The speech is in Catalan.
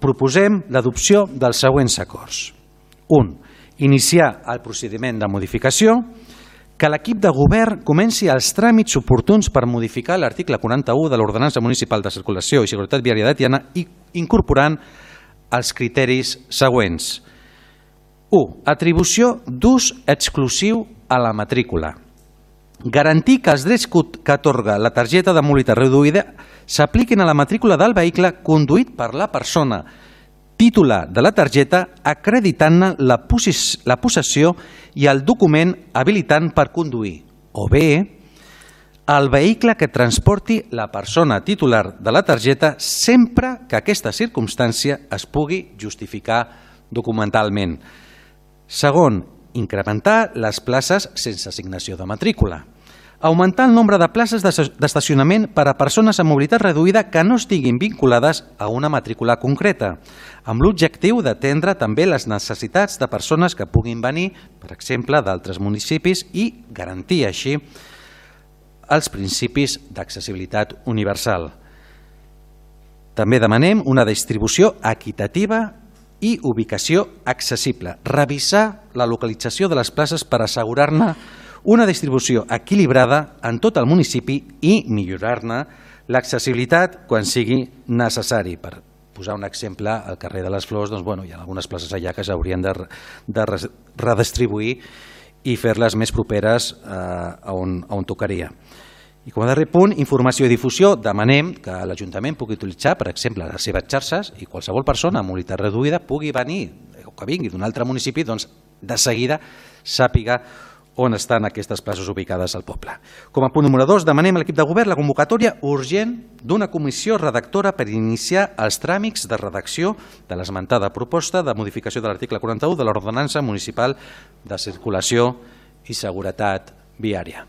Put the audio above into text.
proposem l'adopció dels següents acords. 1. Iniciar el procediment de modificació, que l'equip de govern comenci els tràmits oportuns per modificar l'article 41 de l'Ordenança Municipal de Circulació i Seguretat Viària de Tiana, incorporant els criteris següents. 1. Atribució d'ús exclusiu a la matrícula. Garantir que els drets que atorga la targeta de mobilitat reduïda s'apliquin a la matrícula del vehicle conduït per la persona titular de la targeta, acreditant-ne la possessió i el document habilitant per conduir, o bé el vehicle que transporti la persona titular de la targeta sempre que aquesta circumstància es pugui justificar documentalment. Segon, incrementar les places sense assignació de matrícula. Augmentar el nombre de places d'estacionament per a persones amb mobilitat reduïda que no estiguin vinculades a una matrícula concreta, amb l'objectiu d'atendre també les necessitats de persones que puguin venir, per exemple, d'altres municipis i garantir així els principis d'accessibilitat universal. També demanem una distribució equitativa i ubicació accessible. Revisar la localització de les places per assegurar-ne una distribució equilibrada en tot el municipi i millorar-ne l'accessibilitat quan sigui necessari. Per posar un exemple, al carrer de les Flors hi ha algunes places allà que s'haurien de redistribuir i fer-les més properes a on tocaria. I com a darrer punt, informació i difusió. Demanem que l'Ajuntament pugui utilitzar, per exemple, les seves xarxes i qualsevol persona amb mobilitat reduïda pugui venir o que vingui d'un altre municipi, de seguida sàpiga on estan aquestes places ubicades al poble. Com a punt número 2, demanem a l'equip de govern la convocatòria urgent d'una comissió redactora per iniciar els tràmits de redacció de l'esmentada proposta de modificació de l'article 41 de l'Ordenança Municipal de Circulació i Seguretat Viària.